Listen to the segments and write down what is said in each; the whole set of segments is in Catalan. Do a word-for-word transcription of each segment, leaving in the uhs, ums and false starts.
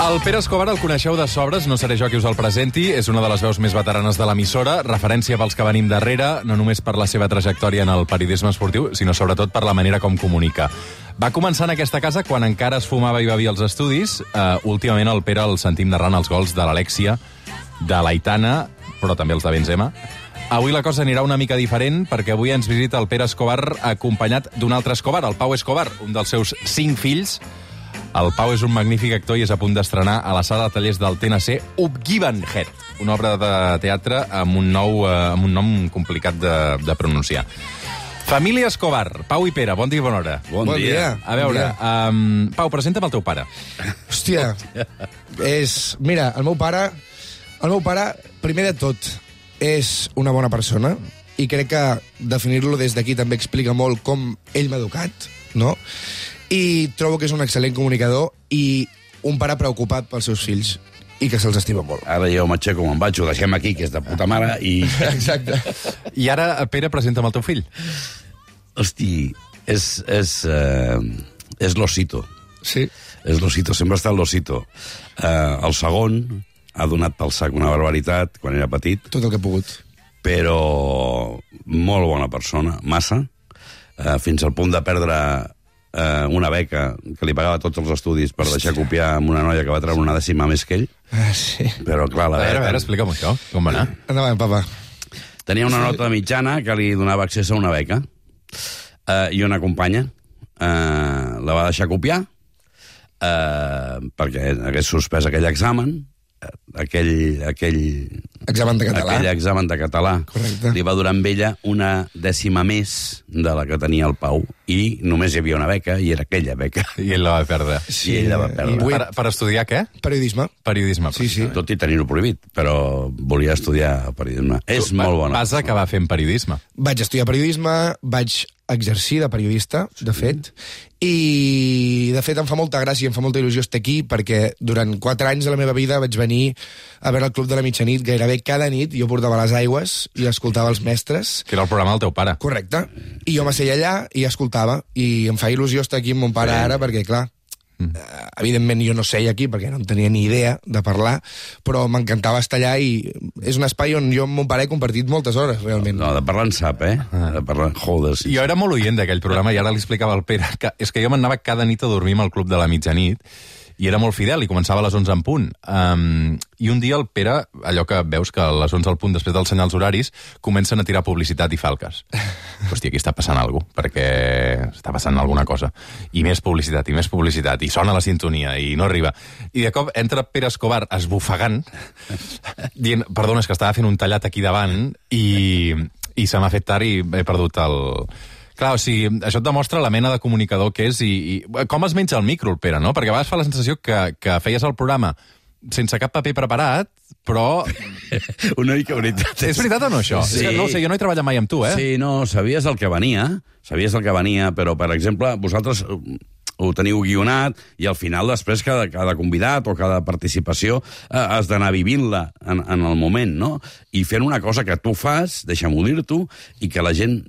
El Pere Escobar el coneixeu de sobres, no seré jo qui us el presenti, és una de les veus més veteranes de l'emissora, referència pels que venim darrere, no només per la seva trajectòria en el periodisme esportiu, sinó sobretot per la manera com comunica. Va començar en aquesta casa quan encara es fumava i bevia als estudis. Uh, últimament el Pere el sentim narrant els gols de l'Alexia, de l'Aitana, però també els de Benzema. Avui la cosa anirà una mica diferent, perquè avui ens visita el Pere Escobar acompanyat d'un altre Escobar, el Pau Escobar, un dels seus cinc fills. El Pau és un magnífic actor i és a punt d'estrenar a la sala de tallers del T N C Upgiven Head, una obra de teatre amb un, nou, eh, amb un nom complicat de, de pronunciar. Família Escobar, Pau i Pere, bon dia i bona hora. Bon, bon dia. dia. A veure, bon um, Pau, presenta'm el teu pare. Hòstia, és... Mira, el meu pare, el meu pare, primer de tot, és una bona persona i crec que definir-lo des d'aquí també explica molt com ell m'ha educat, no? I trobo que és un excel·lent comunicador i un pare preocupat pels seus fills i que se'ls estima molt. Ara jo m'aixeco, me'n vaig, ho deixem aquí, que és de puta mare, i... Exacte. I ara, Pere, presenta'm el teu fill. Hosti, és... és, uh, és l'Osito. Sí. És l'Osito, sempre està l'Osito. Uh, el segon ha donat pel sac una barbaritat quan era petit. Tot el que ha pogut. Però molt bona persona, massa, uh, fins al punt de perdre... Uh, una beca que li pagava tots els estudis per deixar copiar amb una noia que va treure una dècima més que ell. Ah, sí. Però, clar, la a veure, beca... a veure, explica'm això, com va anar? Endavant, papa. Tenia una nota mitjana que li donava accés a una beca. Uh, I una companya uh, la va deixar copiar uh, perquè hagués suspès aquell examen, uh, aquell, aquell... Examen de català. Aquell examen de català. Correcte. Li va durar amb ella una dècima més de la que tenia el Pau i només hi havia una beca i era aquella beca. I ell la va perdre. Sí, I ell la va perdre. Per, per estudiar què? Periodisme. Periodisme. Sí, sí. Tot i tenir-ho prohibit, però volia estudiar periodisme. Tu, és molt bona. Vas acabar fent periodisme. Vaig estudiar periodisme, vaig exercir de periodista, de fet, i de fet em fa molta gràcia i em fa molta il·lusió estar aquí perquè durant quatre anys de la meva vida vaig venir a veure el Club de la Mitjanit gairebé cada nit. Jo portava les aigües i escoltava els mestres. Que era el programa del teu pare. Correcte. I jo m'asseia allà i escoltava. I em fa il·lusió estar aquí amb mon pare sí. ara perquè, clar, mm. eh, evidentment jo no seia aquí perquè no en tenia ni idea de parlar, però m'encantava estar allà i és un espai on jo amb mon pare he compartit moltes hores, realment. No, de parlar en sap, eh? De parlar... Joder, sí. Jo era molt oient d'aquell programa i ara li explicava al Pere que és que jo m'anava cada nit a dormir amb el Club de la Mitjanit i era molt fidel, i començava a les onze en punt. Um, I un dia el Pere, allò que veus que a les onze al punt, després dels senyals horaris, comencen a tirar publicitat i falques. Hòstia, aquí està passant alguna cosa, perquè està passant alguna cosa. I més publicitat, i més publicitat, i sona la sintonia, i no arriba. I de cop entra Pere Escobar esbufegant, dient, perdona, és que estava fent un tallat aquí davant, i, i se m'ha fet tard i he perdut el... Clar, o sigui, això et demostra la mena de comunicador que és i, i com es menja el micro, el Pere, no? Perquè a vegades fa la sensació que, que feies el programa sense cap paper preparat, però... Una mica veritat. És veritat o no, això? Sí. És que, no ho sé, jo no he treballat mai amb tu, eh? Sí, no, sabies el que venia, sabies el que venia, però, per exemple, vosaltres ho teniu guionat i al final després cada, cada convidat o cada participació eh, has d'anar vivint-la en, en el moment, no? I fent una cosa que tu fas, deixa'm-ho dir-t'ho, i que la gent,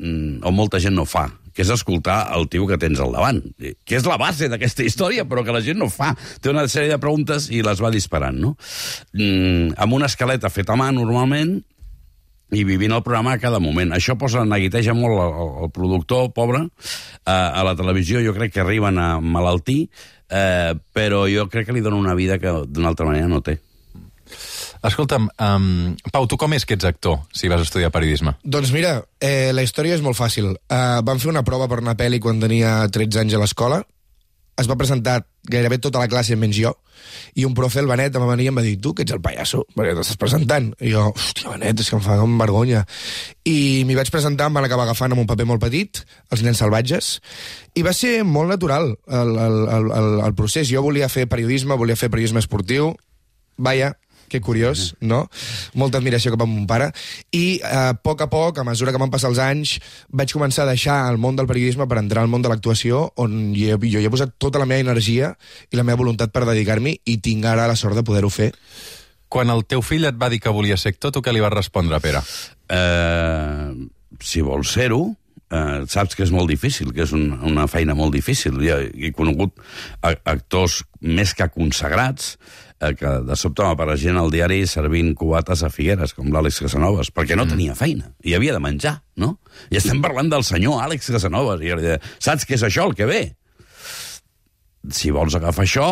o molta gent no fa, que és escoltar el tio que tens al davant, que és la base d'aquesta història, però que la gent no fa. Té una sèrie de preguntes i les va disparant, no? Mm, amb una escaleta feta a mà, normalment, i vivint el programa a cada moment. Això posa, neguiteja molt el, el productor, pobre. Uh, a la televisió jo crec que arriben a malaltir, uh, però jo crec que li dona una vida que d'una altra manera no té. Escolta'm, um, Pau, tu com és que ets actor, si vas estudiar periodisme? Doncs mira, eh, la història és molt fàcil. Uh, vam fer una prova per una pel·li quan tenia tretze anys a l'escola. Es va presentar gairebé tota la classe menys jo, i un profe, el Benet, em va venir i em va dir, tu, que ets el pallasso, perquè t'estàs presentant. I jo, hòstia, Benet, és que em fa com vergonya. I m'hi vaig presentar, em van acabar agafant amb un paper molt petit, Els nens salvatges, i va ser molt natural el, el, el, el, el procés. Jo volia fer periodisme, volia fer periodisme esportiu, vaja, que curiós, no? Molta admiració cap a mon pare. I a poc a poc, a mesura que van passar els anys, vaig començar a deixar el món del periodisme per entrar al món de l'actuació, on jo, jo hi he posat tota la meva energia i la meva voluntat per dedicar-m'hi, i tinc ara la sort de poder-ho fer. Quan el teu fill et va dir que volia ser actor, tu què li vas respondre, Pere? Uh, si vols ser-ho, eh, saps que és molt difícil, que és un, una feina molt difícil. Jo he conegut actors més que consagrats eh, que de sobte m'apareixien al diari servint cubates a Figueres, com l'Àlex Casanovas, perquè no tenia feina i havia de menjar, no? I estem parlant del senyor Àlex Casanovas, i jo li deia, saps què és això, el que ve? Si vols agafar això,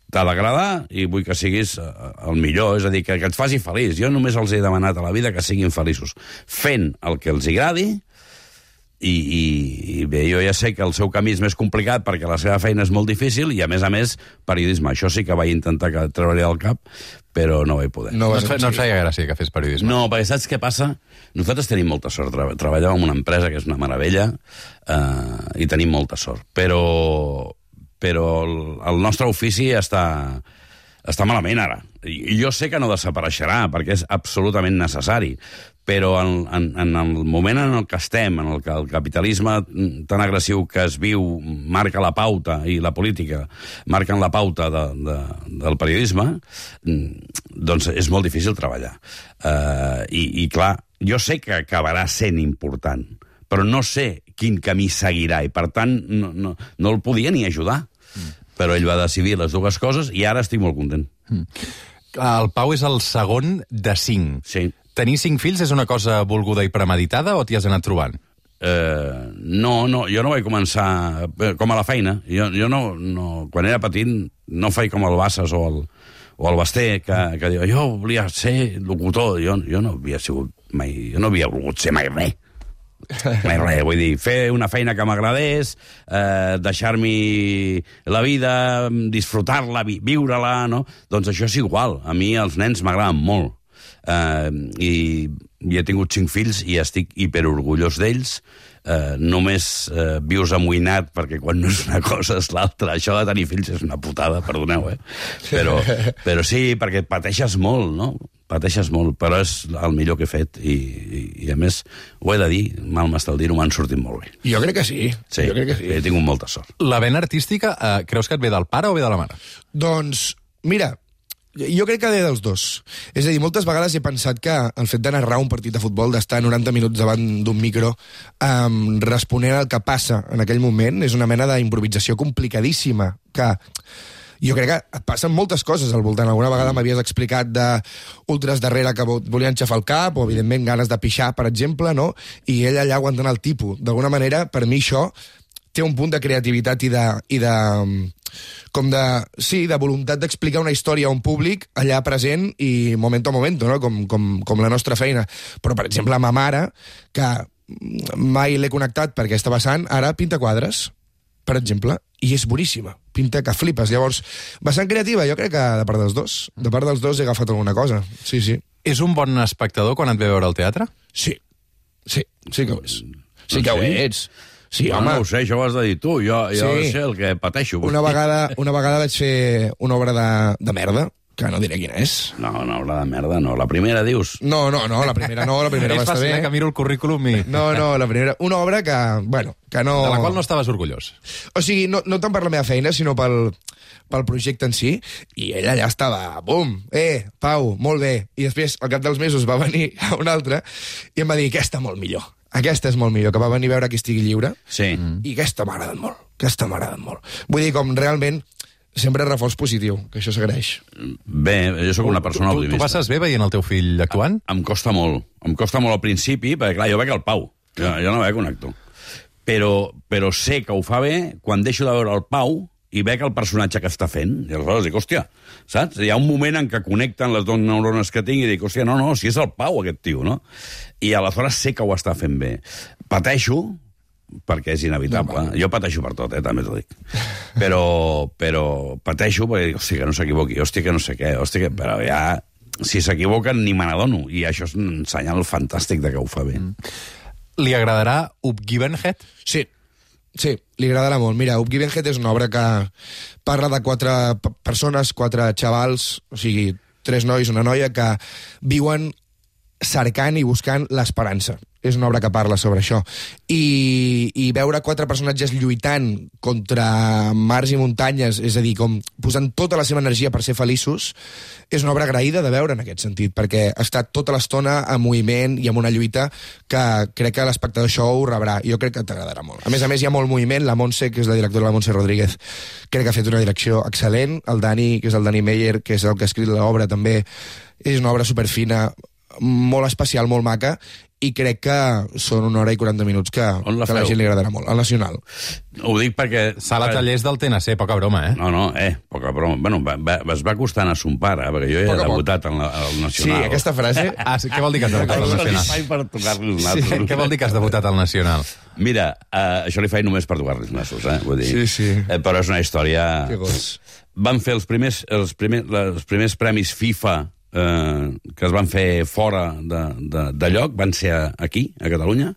t'ha d'agradar i vull que siguis el millor, és a dir, que, que et faci feliç. Jo només els he demanat a la vida que siguin feliços, fent el que els agradi. I, i, i bé, jo ja sé que el seu camí és més complicat perquè la seva feina és molt difícil i, a més a més, periodisme. Això sí que vaig intentar que treure del cap, però no vaig poder. No, no, et, no et feia gràcia que fes periodisme? No, perquè saps què passa? Nosaltres tenim molta sort. Treballem en una empresa que és una meravella eh, i tenim molta sort. Però, però el, el nostre ofici està... està malament ara. I jo sé que no desapareixerà, perquè és absolutament necessari, però en, en, en el moment en el que estem, en el que el capitalisme tan agressiu que es viu marca la pauta, i la política marquen la pauta de, de, del periodisme, doncs és molt difícil treballar. Uh, i, I clar, jo sé que acabarà sent important, però no sé quin camí seguirà, i per tant no, no, no el podia ni ajudar. Mm. Però ell va decidir les dues coses i ara estic molt content. Mm. El Pau és el segon de cinc. Sí. Tenir cinc fills és una cosa volguda i premeditada o t'hi has anat trobant? Eh, no, no, jo no vaig començar com a la feina. Jo, jo no, no, quan era petit no feia com el Bassas o el, o el Basté, que, que diu, jo volia ser locutor. Jo, jo no havia sigut mai, jo no havia volgut ser mai res. Mai res, vull dir, fer una feina que m'agradés, eh, deixar-m'hi la vida, disfrutar-la, vi viure-la, no? Doncs això és igual. A mi els nens m'agraden molt. Eh, i, i he tingut cinc fills i estic hiperorgullós d'ells. Eh, només eh, vius amoïnat perquè quan no és una cosa és l'altra. Això de tenir fills és una putada, perdoneu, eh? Però, però sí, perquè pateixes molt, no? Pateixes molt, però és el millor que he fet i, i, i a més, ho he de dir, mal m'està el dir-ho, m'han sortit molt bé. Jo crec que sí. Sí, jo crec que sí. He tingut molta sort. La vena artística, eh, creus que et ve del pare o ve de la mare? Doncs, mira, jo crec que ve dels dos. És a dir, moltes vegades he pensat que el fet de narrar un partit de futbol, d'estar noranta minuts davant d'un micro um, responent al que passa en aquell moment, és una mena d'improvisació complicadíssima, que jo crec que et passen moltes coses al voltant. Alguna vegada m'havies explicat d'ultres darrere que volien xafar el cap, o evidentment ganes de pixar, per exemple, no? I ell allà aguantant el tipus. D'alguna manera, per mi això té un punt de creativitat i de... I de com de, sí, de voluntat d'explicar una història a un públic allà present i momento a momento, no? com, com, com la nostra feina. Però, per exemple, a ma mare, que mai l'he connectat perquè està vessant, ara pinta quadres, per exemple, i és boníssima. Pinta que flipes. Llavors, vessant creativa, jo crec que de part dels dos. De part dels dos he agafat alguna cosa. Sí, sí. És un bon espectador quan et ve a veure al teatre? Sí. Sí, sí que ho és. Sí que ho ets. Sí, no, home. No ho sé, això ho has de dir tu. Jo, jo Sí. sé el que pateixo. Una vegada, una vegada vaig fer una obra de, de merda, que no diré quina és. No, una obra de merda, no. La primera, dius? No, no, no, la primera no, la primera va És estar fàcil, bé. eh, que miro el currículum i... No, no, la primera... Una obra que, bueno, que no... De la qual no estaves orgullós. O sigui, no, no tant per la meva feina, sinó pel, pel projecte en si, i ell allà estava, bum, eh, Pau, molt bé. I després, al cap dels mesos, va venir a un altre i em va dir, aquesta molt millor. Aquesta és molt millor, que va venir a veure Qui estigui lliure. Sí. Mm. I aquesta m'ha agradat molt. Aquesta m'ha agradat molt. Vull dir, com realment, sempre reforç positiu, que això s'agraeix. Bé, jo sóc una persona tu, tu, optimista. tu passes bé veient el teu fill actuant? Em costa molt. Em costa molt al principi, perquè, clar, jo veig el Pau. Jo, jo no veig un actor. Però, però sé que ho fa bé quan deixo de veure el Pau i veig el personatge que està fent. I aleshores dic, hòstia, saps? Hi ha un moment en què connecten les dues neurones que tinc i dic, hòstia, no, no, si és el Pau, aquest tio, no? I aleshores sé que ho està fent bé. Pateixo, perquè és inevitable. No, jo pateixo per tot, eh, també t'ho dic. Però, però pateixo perquè dic, hòstia, que no s'equivoqui, hòstia, que no sé què, hòstia, que... Però ja, si s'equivoquen, ni me n'adono. I això és un senyal fantàstic de que ho fa bé. Mm. Li agradarà Up Given Head? Sí, sí, li agradarà molt. Mira, Up Given Head és una obra que parla de quatre persones, quatre xavals, o sigui, tres nois, una noia, que viuen cercant i buscant l'esperança. és una obra que parla sobre això. I, i veure quatre personatges lluitant contra mars i muntanyes, és a dir, com posant tota la seva energia per ser feliços, és una obra agraïda de veure en aquest sentit, perquè està tota l'estona en moviment i amb una lluita que crec que l'espectador això ho rebrà. Jo crec que t'agradarà molt. A més a més, hi ha molt moviment. La Montse, que és la directora, la Montse Rodríguez, crec que ha fet una direcció excel·lent. El Dani, que és el Dani Meyer, que és el que ha escrit l'obra, també és una obra superfina, molt especial, molt maca, i crec que són una hora i quaranta minuts que, la que a la gent li agradarà molt. Al Nacional. Ho dic perquè... Sala Tallers del T N C, poca broma, eh? No, no, eh, poca broma. Bueno, va, va, es va costar anar a son pare, perquè jo ja he debutat al, al Nacional. Sí, aquesta frase... Ah, sí, què vol dir que has debutat al Nacional? Per tocar-li els nassos. Sí, què vol dir que has debutat al Nacional? Mira, uh, això li faig només per tocar-li els nassos, eh? Vull dir, Sí, sí. Eh, però és una història... Que gos. Van fer els primers, els primers, els primers premis FIFA eh, que es van fer fora de, de, de lloc, van ser aquí, a Catalunya,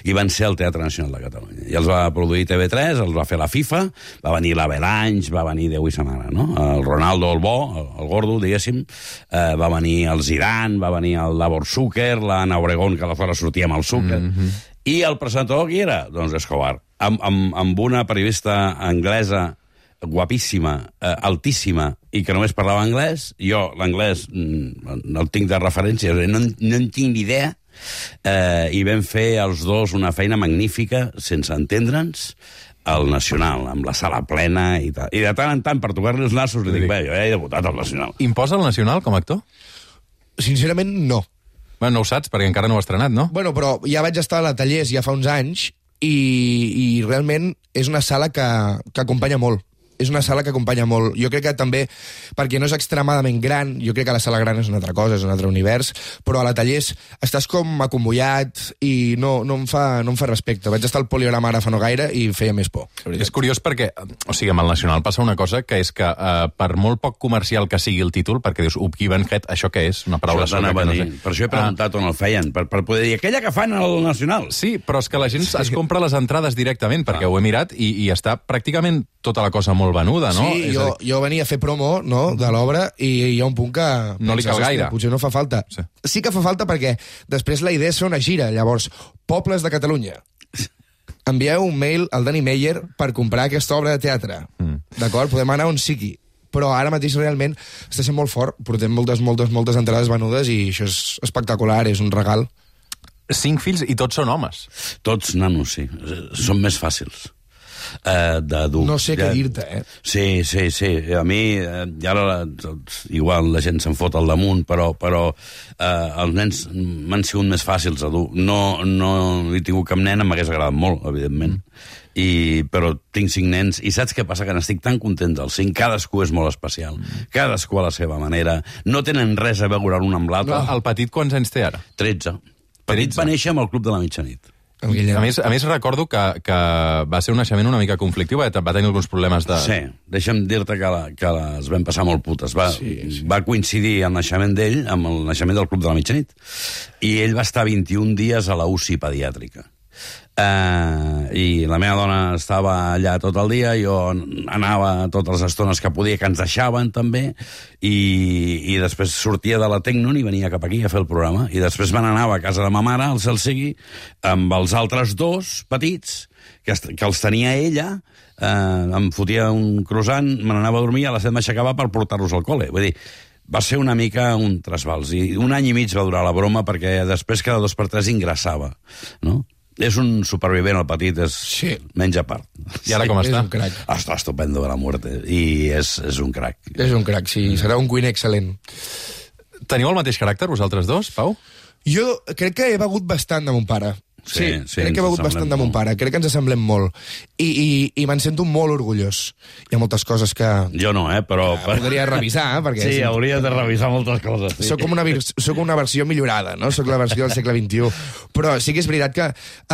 i van ser al Teatre Nacional de Catalunya. I els va produir T V tres, els va fer la FIFA, va venir l'Avalanche, va venir Déu i sa mare, no? El Ronaldo, el bo, el, el gordo, diguéssim, eh, va venir el Zidane, va venir el Davor Zucker, l'Anna Obregón, que aleshores sortia amb el Zucker, mm-hmm. I el presentador qui era? Doncs Escobar, amb, amb, amb una periodista anglesa guapíssima, eh, altíssima, i que només parlava anglès. Jo l'anglès mm, no el tinc de referència, no, no en tinc ni idea, eh, i vam fer els dos una feina magnífica, sense entendre'ns, al Nacional, amb la sala plena i tal. I de tant en tant, per tocar-li els nassos, li dic, bé, jo he debutat al Nacional. Imposa el Nacional com a actor? Sincerament, no. Bueno, no ho saps, perquè encara no ho has estrenat, no? Bueno, però ja vaig estar a la Tallers ja fa uns anys i, i realment és una sala que, que acompanya molt. És una sala que acompanya molt. Jo crec que també, perquè no és extremadament gran, jo crec que la sala gran és una altra cosa, és un altre univers, però a la Tallers estàs com acombollat i no, no, em fa, no em fa respecte. Vaig estar al Poliorama ara fa no gaire i feia més por. És curiós perquè, o sigui, amb el Nacional passa una cosa que és que eh, per molt poc comercial que sigui el títol, perquè dius, Upgivenhead, això què és? Una paraula soca que no sé. Per això he preguntat ah. on el feien, per, per poder dir, aquella que fan al Nacional. Sí, però és que la gent sí. es compra les entrades directament, perquè ah. ho he mirat, i, i està pràcticament tota la cosa molt venuda, no? Sí, jo, jo venia a fer promo, no?, de l'obra, i hi ha un punt que... No li cal gaire. Potser no fa falta. Sí. sí que fa falta perquè després la idea és fer una gira. Llavors, pobles de Catalunya, envieu un mail al Dani Meyer per comprar aquesta obra de teatre. Mm. D'acord? Podem anar on sigui. Però ara mateix realment està sent molt fort. Portem moltes, moltes, moltes entrades venudes i això és espectacular, és un regal. Cinc fills i tots són homes. Tots nanos, sí. Són més fàcils. Uh, d'adult. No sé ja, què dir-te, eh? Sí, sí, sí. A mi, eh, ara igual la gent se'n fot al damunt, però, però eh, els nens m'han sigut més fàcils a dur. No, no he tingut cap nena, m'hagués agradat molt, evidentment. I, però tinc cinc nens, i saps què passa? Que n'estic tan content dels cinc. Cadascú és molt especial. Cadascú a la seva manera. No tenen res a veure l'un amb l'altre. El petit quants anys té ara? tretze. Petit va néixer amb el Club de la Mitjanit. A més, a més recordo que, que va ser un naixement una mica conflictiu, va tenir alguns problemes de... Sí, deixa'm dir-te que, la, que les vam passar molt putes. Va, sí, sí. va coincidir el naixement d'ell amb el naixement del Club de la Mitjanit. I ell va estar vint-i-un dies a la U C I pediàtrica. Uh, i la meva dona estava allà tot el dia, jo anava totes les estones que podia, que ens deixaven també, i, i després sortia de la Tecnon i venia cap aquí a fer el programa, i després me n'anava a casa de ma mare, al cel sigui, amb els altres dos petits que, que els tenia ella, uh, em fotia un croissant, me n'anava a dormir, a les set m'aixecava per portar-los al col·le. Vull dir, va ser una mica un trasbals, i un any i mig va durar la broma, perquè després cada dos per tres ingressava, no? És un supervivent, el petit, és sí. menys a part. I ara com sí, està? És un crac. Està estupendo de la muerte, i és, és un crac. És un crac, sí. Serà un cuiner excel·lent. Teniu el mateix caràcter, vosaltres dos, Pau? Jo crec que he begut bastant de mon pare. Sí, sí, sí, crec que he begut bastant de mon pare. Crec que ens assemblem molt. I, i, i me'n sento molt orgullós. Hi ha moltes coses que... Jo no, eh, però... Que podria revisar, perquè... Sí, hauries de revisar moltes coses. Sí. Soc com una, soc una versió millorada, no? Soc la versió del segle vint-i-u. Però sí que és veritat que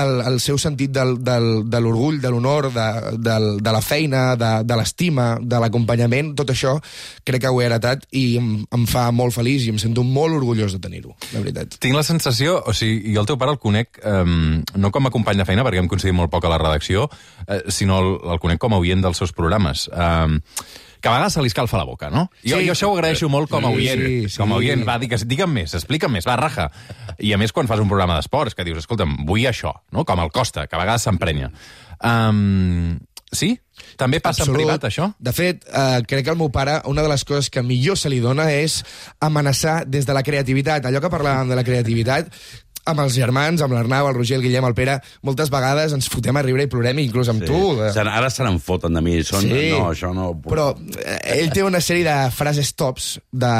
el, el seu sentit del, del, de l'orgull, de l'honor, de, del, de la feina, de, de l'estima, de l'acompanyament, tot això, crec que ho he heretat i em, em fa molt feliç i em sento molt orgullós de tenir-ho, la veritat. Tinc la sensació, o sigui, jo el teu pare el conec... Eh, no com a company de feina, perquè hem coincidit molt poc a la redacció, eh, sinó el, el conec com a oient dels seus programes. Eh, que a vegades se li escalfa la boca, no? Jo, Sí. jo això ho agraeixo molt com a oient. Sí, sí. Com a oient, va, digues, digue'm més, explica'm més, va, raja. I a més, quan fas un programa d'esports, que dius, escolta'm, vull això, no? Com el Costa, que a vegades s'emprenya. Um, sí? També passa Absolut. en privat, això? De fet, eh, crec que al meu pare una de les coses que millor se li dona és amenaçar des de la creativitat. Allò que parlàvem de la creativitat, amb els germans, amb l'Arnau, el Roger, el Guillem, el Pere, moltes vegades ens fotem a riure i plorem, inclús amb Sí. tu. Se- Ara se n'en foten de mi. Són... Sí. No, això no... Però eh, ell té una sèrie de frases tops, de,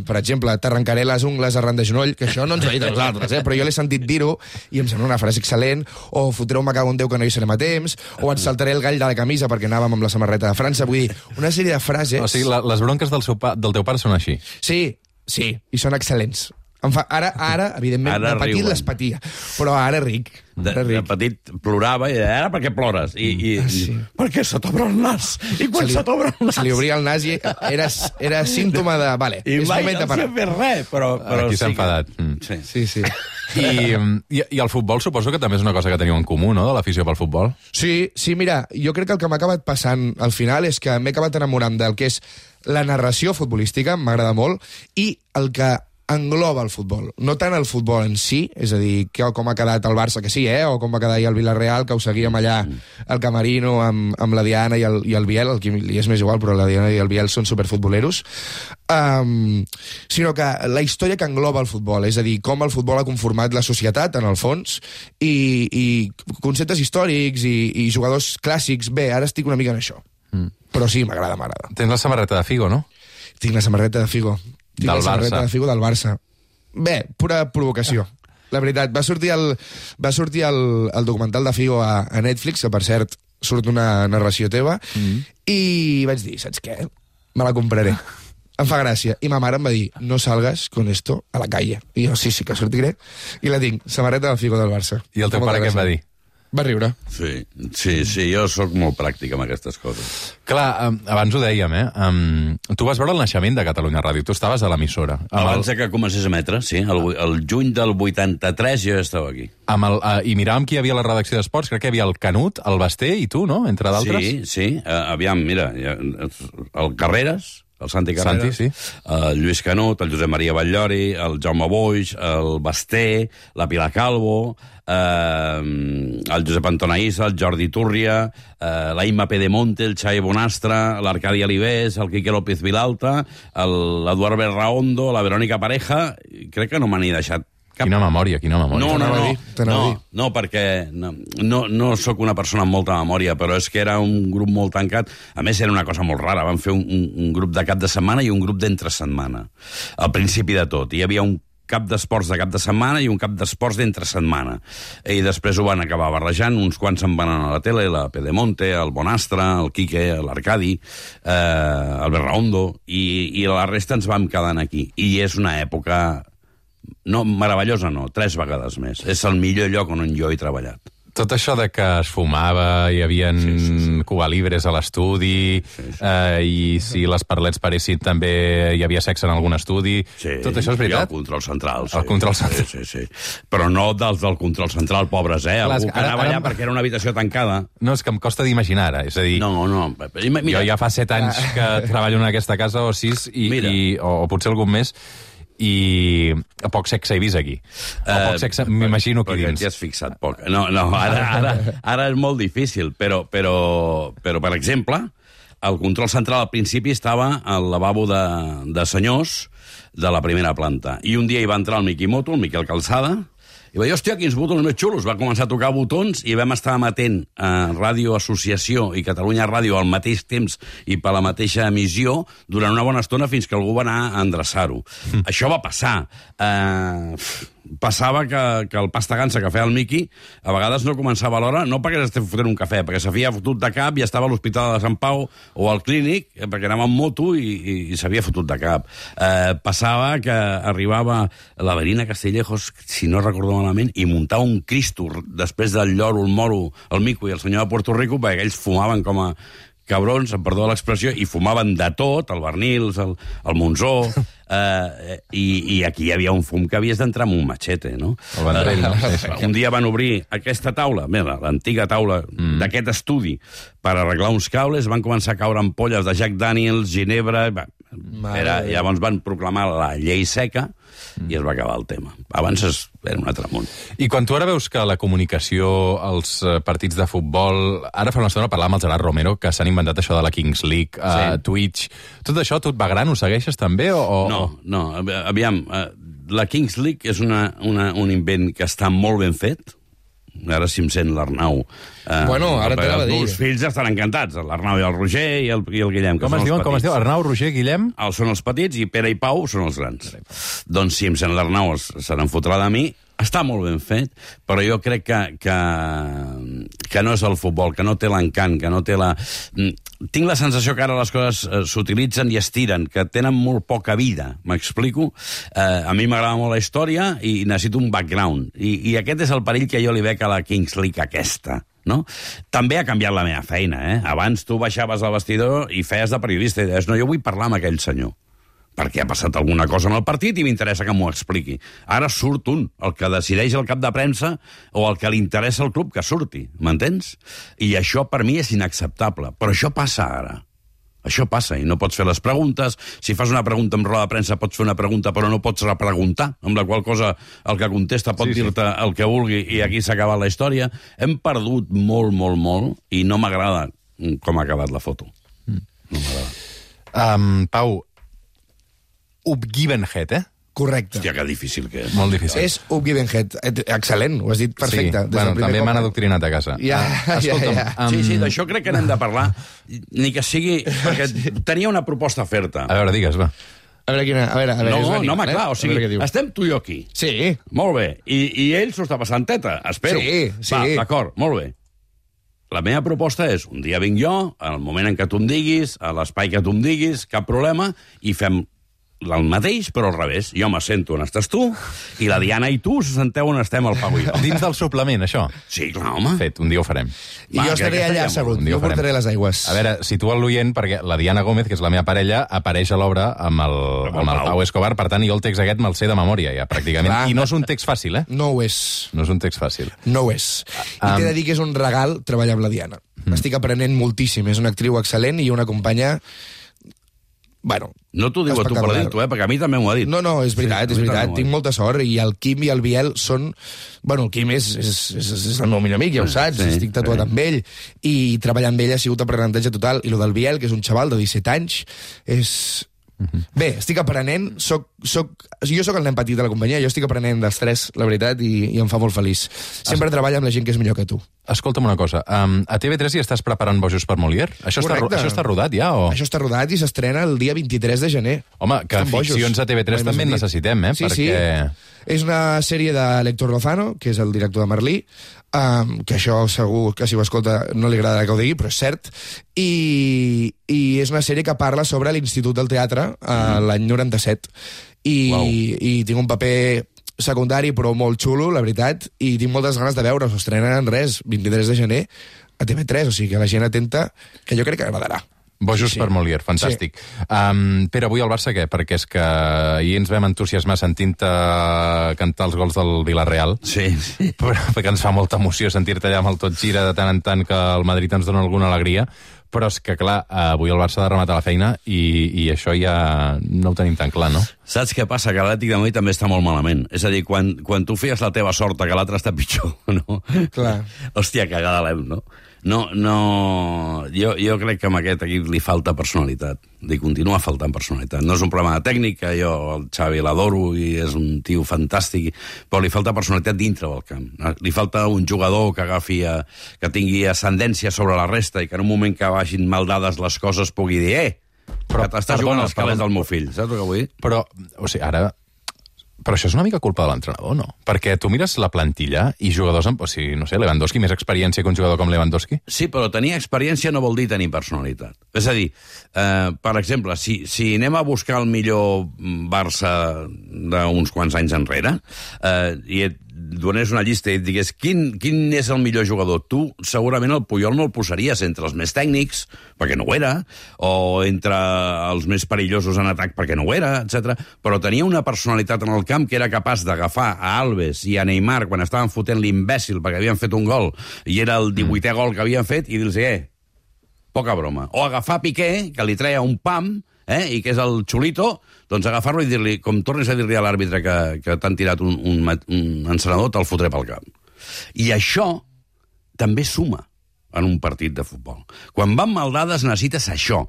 per exemple, t'arrencaré les ungles arran de genoll, que això no ens ho ha dit a nosaltres, eh? Però jo l'he sentit dir-ho i em sembla una frase excel·lent, o fotreu me cago en Déu que no hi serem a temps, o et saltaré el gall de la camisa perquè anàvem amb la samarreta de França. Vull dir, una sèrie de frases... O sigui, la, les bronques del, seu pa, del teu pare són així. Sí, sí, i són excel·lents. Em fa, ara, ara, evidentment, Ara de petit riuen. les patia, però ara ric. De, Ara de ric. petit plorava i ara per què plores? I, i, Ah, sí. i perquè se t'obre el nas. I quan se, li- t'obre el nas... Se li obria el nas i era, era símptoma de... Vale, I és mai moment de no parar. s'ha fet res, però... però Aquí sí s'ha que- enfadat. Mm. Sí. Sí, sí. I, i, I el futbol suposo que també és una cosa que teniu en comú, no?, de l'afició pel futbol. Sí, sí, mira, jo crec que el que m'ha acabat passant al final és que m'he acabat enamorant del que és la narració futbolística, m'agrada molt, i el que engloba el futbol. No tant el futbol en si, és a dir, que, com ha quedat el Barça, que sí, eh? O com va quedar ahir el Villarreal, que ho seguíem allà al Camerino amb, amb la Diana i el, i el Biel, el que li és més igual, però la Diana i el Biel són superfutboleros, um, sinó que la història que engloba el futbol, és a dir, com el futbol ha conformat la societat, en el fons, i, i conceptes històrics i, i jugadors clàssics. Bé, ara estic una mica en això. Mm. Però sí, m'agrada, m'agrada. Tens la samarreta de Figo, no? Tinc la samarreta de Figo. Tinc Del la samarreta Barça. de Figo del Barça. Bé, pura provocació. La veritat, va sortir el, va sortir el, el documental de Figo a, a Netflix, que per cert surt una narració teva, mm. i vaig dir, saps què? Me la compraré. Em fa gràcia. I ma mare em va dir, no salgas con esto a la calle. I jo, sí, sí, que sortiré. I la tinc, samarreta de Figo del Barça. I el teu pare què em va dir? Va riure. Sí, sí, sí, jo sóc molt pràctic amb aquestes coses. Clar, um, abans ho dèiem, eh? Um, tu vas veure el naixement de Catalunya Ràdio, tu estaves a l'emissora. Amb Abans el, de que comencés a emetre, sí, el, el juny del vuitanta-tres jo ja estava aquí. amb el, uh, I miràvem qui hi havia a la redacció d'esports, crec que hi havia el Canut, el Basté i tu, no?, entre d'altres. Sí, sí, uh, aviam, mira, ja, el Carreras, el Santi Carreras, Santi, sí. el Lluís Canut, el Josep Maria Batllori, el Jaume Boix, el Basté, la Pilar Calvo, eh, el Josep Antoniissa, el Jordi Túrria, eh, la Imma Pedemonte, el Xavi Bonastre, l'Arcadi Alibés, el Quique López Vilalta, l'Eduard Berraondo, la Verònica Pareja, crec que no m'han ni deixat cap. Quina memòria, quina memòria. No, no, T'anava a no, dir, t'anava a no, dir. no, perquè no, no, no sóc una persona amb molta memòria, però és que era un grup molt tancat. A més, era una cosa molt rara. Vam fer un, un, un grup de cap de setmana i un grup d'entre setmana. Al principi de tot. Hi havia un cap d'esports de cap de setmana i un cap d'esports d'entre setmana. I després ho van acabar barrejant, uns quants se'n van anar a la tele, la Pedemonte, el Bonastre, el Quique, l'Arcadi, eh, el Berraondo, i, i la resta ens vam quedant aquí. I és una època... No, meravellosa no, tres vegades més. És el millor lloc on jo he treballat. Tot això de que es fumava, hi havia sí, sí, sí. Cuba Libres a l'estudi, sí, sí. Eh, i si les parlets paressin també hi havia sexe en algun estudi. Sí, tot això és veritat? I el control central. Sí. El control central. Sí, sí, sí. Però no dels del control central, pobres, eh? Clar, Algú que que ara- anava ara- allà perquè era una habitació tancada. No, és que em costa d'imaginar ara, és a dir... No, no. Mira, jo ja fa set anys que treballo en aquesta casa, o sis, i, Mira. i, o, o potser algun més, i poc sexe he vist aquí. O poc sexe, m'imagino aquí perquè dins. t'hi has fixat poc. No, no, ara, ara, ara és molt difícil, però, però, però, per exemple, el control central al principi estava al lavabo de, de senyors de la primera planta. I un dia hi va entrar el Miqui Moto, el Miquel Calçada, i va dir, hòstia, quins botons més xulos. Va començar a tocar botons i vam estar emetent a Ràdio Associació i Catalunya Ràdio al mateix temps i per la mateixa emissió durant una bona estona fins que algú va anar a endreçar-ho. Mm. Això va passar. Eh, passava que, que el pasta gansa que feia el Miqui a vegades no començava a l'hora, no perquè s'estés fotent un cafè, perquè s'havia fotut de cap i estava a l'Hospital de Sant Pau o al clínic, perquè anava amb moto i, i, i s'havia fotut de cap. Eh, passava que arribava la Verina Castellejos, si no recordo malament, i muntava un Cristo després del lloro, el moro, el mico i el senyor de Puerto Rico, perquè ells fumaven com a cabrons, em perdó l'expressió, i fumaven de tot, el Bernils, el, el Monzó, eh, i, i aquí hi havia un fum que havies d'entrar amb un machete, no? El Vendrell, no? Uh, un dia van obrir aquesta taula, mira, l'antiga taula mm. d'aquest estudi, per arreglar uns cables, van començar a caure ampolles de Jack Daniels, Ginebra... Era, llavors van proclamar la llei seca mm. i es va acabar el tema. Abans es, era un altre món. I quan tu ara veus que la comunicació, els partits de futbol... Ara fa una estona parlàvem amb el Gerard Romero, que s'han inventat això de la Kings League, sí. uh, Twitch... Tot això, tu et va gran? Ho segueixes també? O, o... No, no, aviam, uh, la Kings League és una, una, un invent que està molt ben fet. Ara si em sent l'Arnau... Eh, bueno, ara t'anava a dir. Els fills estan encantats, l'Arnau i el Roger i el, i el Guillem. Com es diuen? Com es diu? Arnau, Roger, Guillem? Els són els petits i Pere i Pau són els grans. Doncs si em sent l'Arnau se n'enfotrà de mi. Està molt ben fet, però jo crec que, que, que no és el futbol, que no té l'encant, que no té la... Tinc la sensació que ara les coses eh, s'utilitzen i estiren, que tenen molt poca vida, m'explico? Eh, a mi m'agrada molt la història i necessito un background. I, I aquest és el perill que jo li veig a la Kings League aquesta. No? També ha canviat la meva feina, eh? Abans tu baixaves al vestidor i feies de periodista i deies, no, jo vull parlar amb aquell senyor perquè ha passat alguna cosa en el partit i m'interessa que m'ho expliqui. Ara surt un, el que decideix el cap de premsa o el que li interessa al club que surti, m'entens? I això per mi és inacceptable, però això passa ara. Això passa, i no pots fer les preguntes. Si fas una pregunta en roda de premsa, pots fer una pregunta, però no pots repreguntar, amb la qual cosa el que contesta pot sí, dir-te sí. el que vulgui, i aquí s'ha acabat la història. Hem perdut molt, molt, molt, i no m'agrada com ha acabat la foto. Mm. No m'agrada. Um, Pau, Upgivenhead, eh? Correcte. Hòstia, que difícil que és. Molt difícil. És Upgivenhead. Excel·lent, ho has dit perfecte. Sí, bueno, també m'han adoctrinat a casa. Ja, ah, escolta'm, ja, ja. Um... Sí, sí, d'això crec que n'hem de parlar, ni que sigui... Perquè tenia una proposta a fer-te. A veure, digues, va. A veure, quina... A veure, a veure, no, venim, no, home, eh? clar, o sigui, estem tu i jo aquí. Sí. Molt bé. I, i ell s'ho està passant teta, espero. Sí, sí. Va, d'acord, molt bé. La meva proposta és, un dia vinc jo, al moment en què tu em diguis, a l'espai que tu em diguis, cap problema, i fem el mateix, però al revés. Jo m'assento on estàs tu, i la Diana i tu se senteu on estem el Pau i jo. Dins del suplement, això? Sí, clar, home. Fet, un dia ho farem. I Va, jo estaré allà assegut, jo portaré les aigües. A veure, situa l'oient, perquè la Diana Gómez, que és la meva parella, apareix a l'obra amb el, amb el Pau Escobar, per tant, jo el text aquest me'l sé de memòria, ja, pràcticament. Clar. I no és un text fàcil, eh? No ho és. No és un text fàcil. No ho és. I t'he de dir que és un regal treballar amb la Diana. Mm. Estic aprenent moltíssim. És una actriu excel·lent i una companya... Bueno, no t'ho diu a tu per dir-t'ho, eh? Perquè a mi també m'ho ha dit. No, no, és veritat, sí, és veritat. Tinc molta sort i el Quim i el Biel són... Bueno, el Quim és, és, és, és el meu millor amic, ja ho saps, sí, estic tatuat sí. amb ell, i treballar amb ell ha sigut aprenentatge total. I el del Biel, que és un xaval de disset anys, és... Uh-huh. Bé, estic aprenent, soc, soc, jo sóc el nen petit de la companyia, jo estic aprenent dels tres, la veritat, i, i em fa molt feliç. Sempre es... treballa amb la gent que és millor que tu. Escolta'm una cosa, um, a T V tres hi estàs preparant Bojos per Molière? Això està, això està rodat ja, o...? Això està rodat i s'estrena el dia vint-i-tres de gener. Home, que Estan ficcions bojos. a T V tres també en necessitem, eh? Sí, perquè... sí. És una sèrie de l'Héctor Lozano, que és el director de Merlí, um, que això segur que si ho escolta no li agradarà que ho digui, però és cert, i, i és una sèrie que parla sobre l'Institut del Teatre uh, mm. l'any noranta-set. I, wow. I tinc un paper secundari, però molt xulo, la veritat, i tinc moltes ganes de veure. S'estrena en res, vint-i-tres de gener, a T V tres, o sigui que la gent atenta, que jo crec que agradarà. Bojos sí, sí. per Molière, fantàstic. Sí. Um, Pere, avui al Barça què? Perquè és que ahir ens vam entusiasmar sentint-te cantar els gols del Villarreal. Sí. sí. Però, perquè ens fa molta emoció sentir-te allà amb el tot gira de tant en tant que el Madrid ens dona alguna alegria. Però és que, clar, avui el Barça ha de rematar la feina i, i això ja no ho tenim tan clar, no? Saps què passa? Que l'Atlètic de Madrid també està molt malament. És a dir, quan, quan tu feies la teva sort que l'altre està pitjor, no? Clar. Hòstia, cagada l'hem, no? No, no... Jo, jo crec que amb aquest equip li falta personalitat. Li continua faltant personalitat. No és un problema de tècnica, jo el Xavi l'adoro i és un tio fantàstic, però li falta personalitat dintre del camp. Li falta un jugador que agafi, a, que tingui ascendència sobre la resta i que en un moment que vagin mal dades les coses pugui dir, eh, però, que t'estàs jugant els calés del meu fill. Saps el que vull dir? Però, o sigui, ara... Però això és una mica culpa de l'entrenador, no? Perquè tu mires la plantilla i jugadors amb... O sigui, no sé, Lewandowski, més experiència que un jugador com Lewandowski? Sí, però tenir experiència no vol dir tenir personalitat. És a dir, eh, per exemple, si, si anem a buscar el millor Barça d'uns quants anys enrere, eh, i et donés una llista i et digués quin, quin és el millor jugador, tu segurament el Puyol no el posaries entre els més tècnics, perquè no ho era, o entre els més perillosos en atac, perquè no ho era, etcètera. Però tenia una personalitat en el camp que era capaç d'agafar a Alves i a Neymar quan estaven fotent l'imbècil perquè havien fet un gol i era el divuitè gol que havien fet i dir-los, eh, poca broma. O agafar Piqué, que li treia un pam, eh, i que és el xulito, doncs agafar-lo i dir-li, com tornis a dir-li a l'àrbitre que, que t'han tirat un, un, un encenedor, te'l fotré pel camp. I això també suma en un partit de futbol. Quan van maldades necessites això.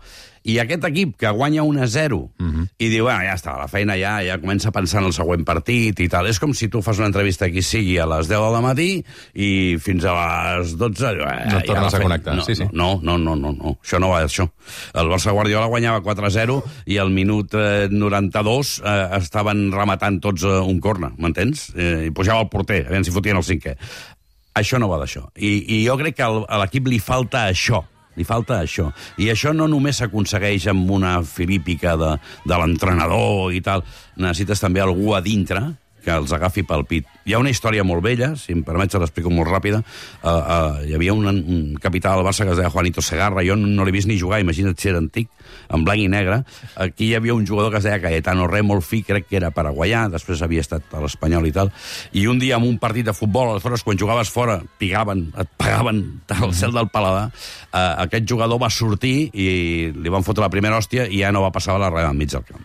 I aquest equip que guanya un a zero uh-huh. i diu, bueno, ja està, la feina ja, ja comença a pensar en el següent partit i tal. És com si tu fas una entrevista qui sigui a les deu del matí i fins a les dotze... Eh, no et tornes ja a connectar. No, sí, sí. no, no, no, no, no. Això no va d'això. El Barça Guardiola guanyava quatre a zero i al minut eh, noranta-dos eh, estaven rematant tots eh, un corna, m'entens? Eh, I pujava el porter, a veure si fotien el cinquè. Això no va d'això. I, I jo crec que al, a l'equip li falta això. Li falta això. I això no només s'aconsegueix amb una filípica de, de l'entrenador i tal. Necessites també algú a dintre que els agafi pel pit. Hi ha una història molt vella, si em permets l'explico molt ràpida. Uh, uh, hi havia un, un capità del Barça que es deia Juanito Segarra, jo no, no l'he vist ni jugar, imagina't si era antic, en blanc i negre. Aquí hi havia un jugador que es deia Cayetano Re, molt fi, crec que era paraguaià, després havia estat a l'Espanyol i tal, i un dia en un partit de futbol, aleshores quan jugaves fora, pigaven, et pagaven al cel del paladar, uh, aquest jugador va sortir i li van fotre la primera hòstia i ja no va passar la raya al mig del camp.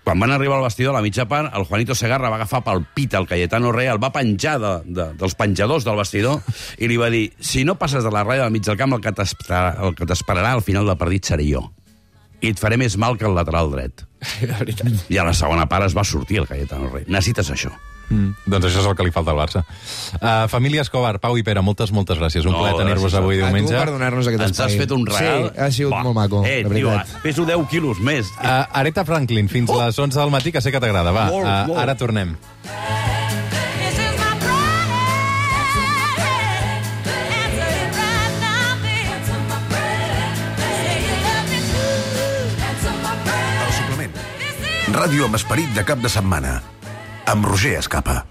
Quan van arribar al vestidor, a la mitja part, el Juanito Segarra va agafar pel pit el Cayetano Re, el va penjar de, de, dels penjadors del vestidor i li va dir, si no passes de la ratlla del mig del camp, el que t'esperarà al final del partit seré jo. I et faré més mal que el lateral dret. La veritat. I a la segona part es va sortir el Cayetano Re. Necessites això. Mm, doncs això és el que li falta al Barça. Uh, família Escobar, Pau i Pere, moltes, moltes gràcies. Un No, plaer tenir-vos gràcies a- avui A tu diumenge. per donar-nos aquest Ens has espai. fet un regal. Sí, ha sigut Va. molt maco, eh, la veritat. Tio, peso deu quilos més. Uh, Aretha Franklin, fins a les onze del matí, que sé que t'agrada. Va, Molt, uh, molt. ara tornem. This is my prayer. Answer it right now, baby. Answer my prayer. Say you love me too. Answer my prayer. El suplement. Ràdio amb esperit de cap de setmana. Amb Roger Escapa.